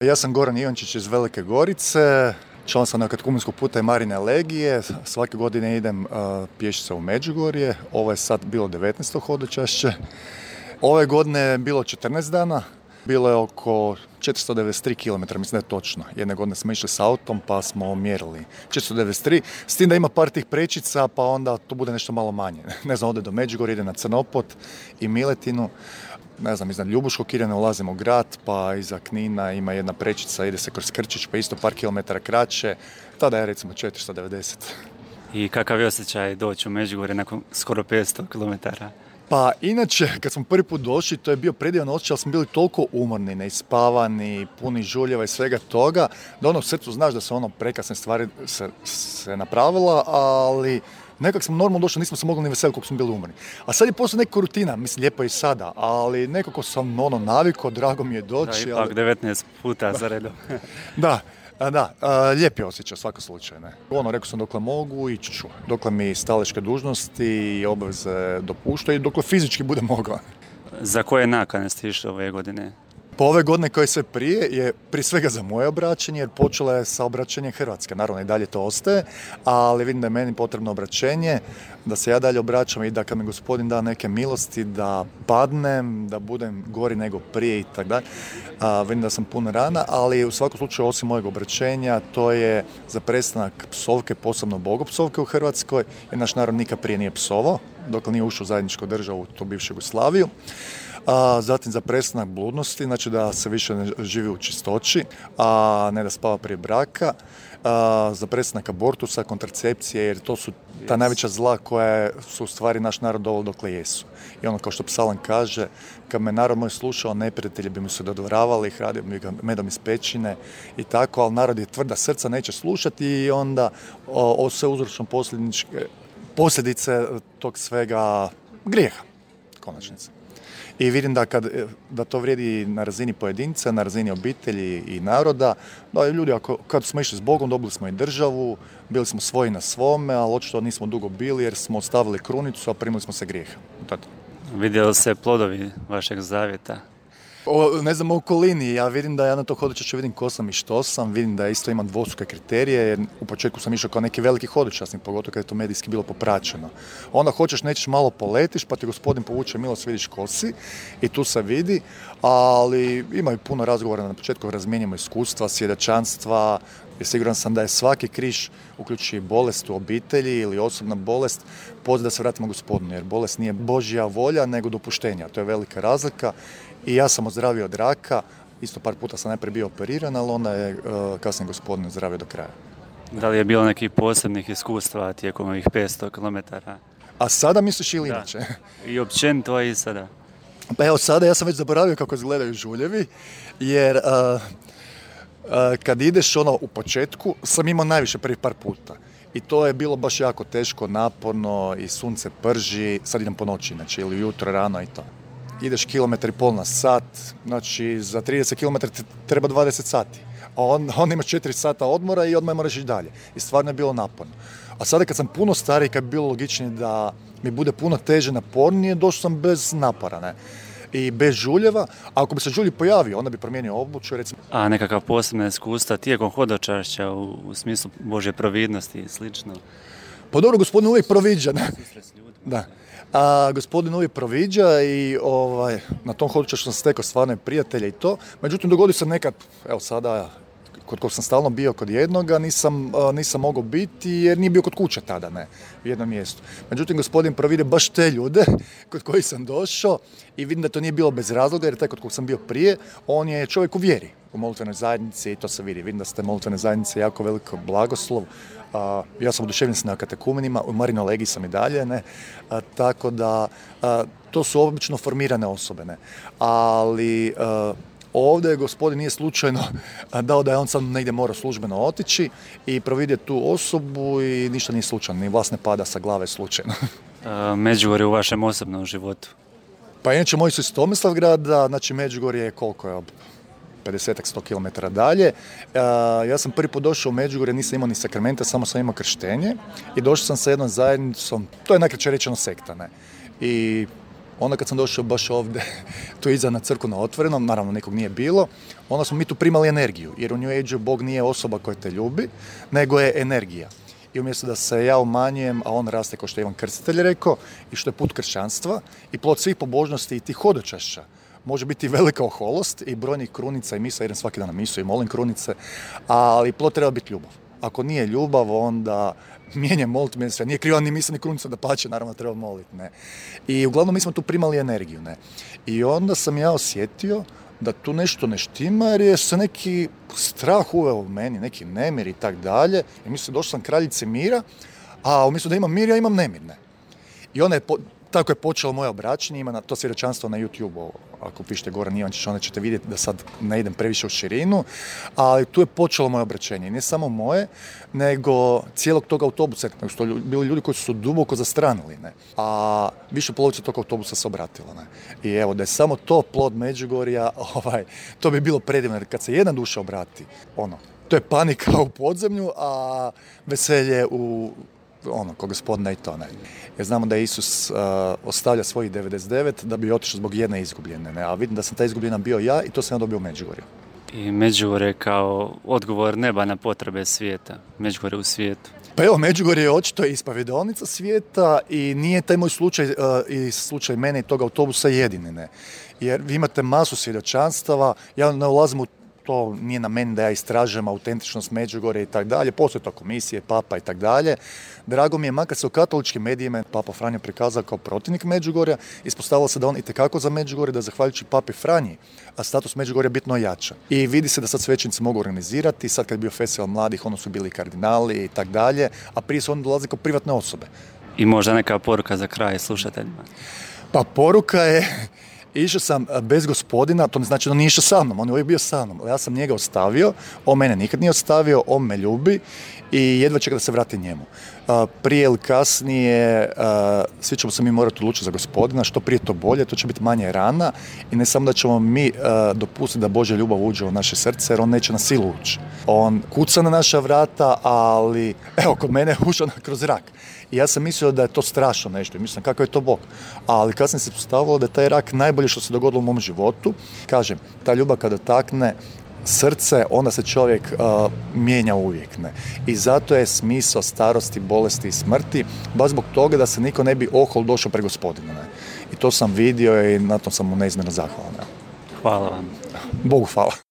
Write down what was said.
Ja sam Goran Ivančić iz Velike Gorice, član sam Katkumenskog puta i Marine Legije. Svake godine idem pješice u Međugorje. Ovo je sad bilo 19. hodočašće. Ove godine je bilo 14 dana. Bilo je oko 493 km, mislim da je točno. Jedne godine smo išli s autom pa smo mjerili 493, s tim da ima par tih prečica pa onda to bude nešto malo manje. Ne znam, ode do Međugorja, ide na Crnopot i Miletinu. Ne znam, iznad Ljubuškog Kirjana ulazimo u grad, pa iza Knina ima jedna prečica, ide se kroz Krčić, pa isto par kilometara kraće. Tada je recimo 490. I kakav je osjećaj doći u Međugorje nakon skoro 500 km? Pa inače, kad smo prvi put došli, to je bio predivan osjećaj, ali smo bili toliko umorni, neispavani, puni žuljeva i svega toga, da ono u srcu znaš da su ono prekrasne stvari se napravila, ali nekako smo normalno došli, nismo se mogli ni veseliti koliko smo bili umorni. A sad je poslije neka rutina, mislim, lijepo je i sada, ali nekako sam navikao, drago mi je doći. Da, ipak 19 puta za redom. Da, lijep je osjećaj, svaka slučaj. Ne. Rekao sam dokle mogu, ići ću. Dokle mi staleške dužnosti i obaveze dopuštaju i dokle fizički bude mogla. Za koje nakane ste išli ove godine? Po ove godine koje sve prije je prije svega za moje obraćanje, jer počela je sa obraćanjem Hrvatske. Naravno i dalje to ostaje, ali vidim da je meni potrebno obraćenje, da se ja dalje obraćam i da kad mi Gospodin da neke milosti, da padnem, da budem gori nego prije i tako dalje. Vidim da sam pun rana, ali u svakom slučaju osim mojeg obraćenja to je za prestanak psovke, posebno bogopsovke u Hrvatskoj, jer naš narod nikad prije nije psovao, dok nije ušao u zajedničku državu, tu bivšu Jugoslaviju. Zatim za prestanak bludnosti, znači da se više ne živi u čistoći, a ne da spava prije braka, za prestanak abortusa, kontracepcije, jer to su ta najveća zla koja su u stvari naš narod doveli dokle jesu. I ono kao što psalam kaže, kad me narod moj slušao, neprijatelji bi mu se dodvoravali, hranio bi ga medom iz pećine i tako, ali narod je tvrda srca, neće slušati i onda sve uzročno posljedice tog svega grijeha, konačnice. I vidim da to vrijedi na razini pojedinca, na razini obitelji i naroda. Da, ljudi, kad smo išli s Bogom, dobili smo i državu, bili smo svoji na svome, ali očito nismo dugo bili jer smo ostavili krunicu, a primili smo se grijeha. Vidjeli se plodovi vašeg zavjeta? Ne znam, u okolini, ja vidim da ja na to hodočašće vidim ko sam i što sam, vidim da isto imam dvostruke kriterije, jer u početku sam išao kao neki veliki hodočasnik, pogotovo kad je to medijski bilo popraćeno. Onda hoćeš, nećeš, malo poletiš, pa ti Gospodin povuče milost, vidiš ko si i tu se vidi, ali ima i puno razgovora na početku, razmijenjamo iskustva, svjedočanstva, jer siguran sam da je svaki križ, uključujući bolest u obitelji ili osobna bolest, poziv da se vratimo Gospodinu, jer bolest nije Božja volja, nego dopuštenja, to je velika razlika. I ja sam ozdravio od raka, isto par puta sam najprije bio operiran, ali onda je kasnije Gospodin ozdravio do kraja. Da li je bilo nekih posebnih iskustva tijekom ovih 500 km? A sada misliš ili inače? I općenito i sada? Pa evo sada, ja sam već zaboravio kako izgledaju žuljevi, jer kad ideš u početku, sam imao najviše prvih par puta. I to je bilo baš jako teško, naporno i sunce prži, sad idem po noći, znači ili ujutro, rano i to. Ideš kilometar i pol na sat, znači za 30 km treba 20 sati. A onda imaš 4 sata odmora i odmah moraš ići dalje. I stvarno je bilo naporno. A sada kad sam puno stariji, kad bi bilo logičnije da mi bude puno teže, napornije, došao sam bez napora, ne? I bez žuljeva. A ako bi se žulj pojavio, onda bi promijenio obuću, recimo. A nekakav posebna iskustva tijekom hodočašća u smislu Božje providnosti i slično? Pa dobro, Gospodin uvijek proviđa, ne? Da. A Gospodin uvijek proviđa i na tom hodočašću sam stekao stvarne prijatelje i to. Međutim, dogodio se nekad, evo sada, kod kog sam stalno bio kod jednoga, nisam mogao biti jer nije bio kod kuće tada, ne, u jednom mjestu. Međutim, Gospodin provide baš te ljude kod kojih sam došao i vidim da to nije bilo bez razloga jer taj kod kog sam bio prije, on je čovjek u vjeri, u molitvenoj zajednici i to se vidi. Vidim da ste molitvene zajednice jako veliko blagoslov. Ja sam oduševljen na katekumenima, u Marinoj Legiji sam i dalje, ne, tako da to su obično formirane osobe, ne, ali ovdje Gospodin nije slučajno dao da je on sad negdje morao službeno otići i providio tu osobu i ništa nije slučajno, ni vlast ne pada sa glave slučajno. Međugorje u vašem osobnom životu? Pa inače moji su iz Tomislavgrada, znači Međugorje je koliko je, 50-100 km dalje. Ja sam prvi put došao u Međugorje, nisam imao ni sakramenta, samo sam imao krštenje i došao sam sa jednom zajednicom, to je najkraće rečeno sekta, ne. I Onda kad sam došao baš ovdje, tu iza na crkvu na otvorenom, naravno nekog nije bilo, onda smo mi tu primali energiju, jer u New Age-u Bog nije osoba koja te ljubi, nego je energija. I umjesto da se ja umanjujem, a on raste kao što je Ivan Krstitelj rekao, i što je put kršćanstva i plod svih pobožnosti i tih hodočašća. Može biti velika oholost i brojnih krunica i misa, idem svaki dan na misu i molim krunice, ali plod treba biti ljubav. Ako nije ljubav, onda mijenjam moliti meni sve. Nije kriva ni misa ni krunica, da pače, naravno treba moliti. Ne. I uglavnom mi smo tu primali energiju. Ne. I onda sam ja osjetio da tu nešto ne štima, jer je se neki strah uveo u meni, neki nemir i tak dalje. I mislim, došao sam kraljice mira, a umjesto da imam mir, ja imam nemir. Ne. I onda je tako je počelo moje obraćanje, ima to svjedočanstvo na YouTube-u, ako pišete Goran Ivančić, onda ćete vidjeti da sad ne idem previše u širinu, ali tu je počelo moje obraćenje. I ne samo moje, nego cijelog tog autobusa, nego su bili ljudi koji su duboko zastranili, ne? A više polovica tog autobusa se obratila. Ne? I evo, da je samo to plod Međugorja, to bi bilo predivno, jer kad se jedna duša obrati, to je panika u podzemlju, a veselje kod Gospodina i to ne. Jer znamo da je Isus ostavlja svojih 99 da bi otišao zbog jedne izgubljene. Ne? A vidim da sam ta izgubljena bio ja i to sam ja dobio u Međugorju. I Međugorje kao odgovor neba na potrebe svijeta. Međugorje u svijetu. Pa evo, Međugorje je očito ispovjedaonica svijeta i nije taj moj slučaj i slučaj mene i tog autobusa jedini. Ne? Jer vi imate masu svjedočanstava, ja ne ulazim u to, nije na meni da ja istražujem autentičnost Međugorja i tak dalje, postoje to komisije, papa i tak dalje. Drago mi je, makar se u katoličkim medijima Papa Franjo prikazao kao protivnik Međugorja, ispostavilo se da on itekako za Međugorje, da zahvaljujući Papi Franji, a status Međugorja bitno jača. I vidi se da sad svećenici mogu organizirati, sad kad je bio festival mladih, ono su bili kardinali i tak dalje, a prije su oni dolaze kao privatne osobe. I možda neka poruka za kraj slušateljima? Pa poruka je, išao sam bez Gospodina, to ne znači da nije išao sa mnom, on je uvijek bio sa mnom. Ja sam njega ostavio, on mene nikad nije ostavio, on me ljubi i jedva čeka da se vrati njemu. Prije ili kasnije, svi ćemo se mi morati odlučiti za Gospodina, što prije to bolje, to će biti manje rana i ne samo da ćemo mi dopustiti da Božja ljubav uđe u naše srce, jer on neće na silu ući. On kuca na naša vrata, ali evo, kod mene je ušao kroz rak. I ja sam mislio da je to strašno nešto i mislim kakav je to Bog. Ali kasnije se postavilo da je taj rak najbolje što se dogodilo u mom životu. Kažem, ta ljubav kada takne srce, onda se čovjek mijenja uvijek. Ne? I zato je smisao starosti, bolesti i smrti, baš zbog toga da se niko ne bi ohol došao pre Gospodina. Ne? I to sam vidio i na tom sam mu neizmjerno zahvalan. Hvala vam. Bogu hvala.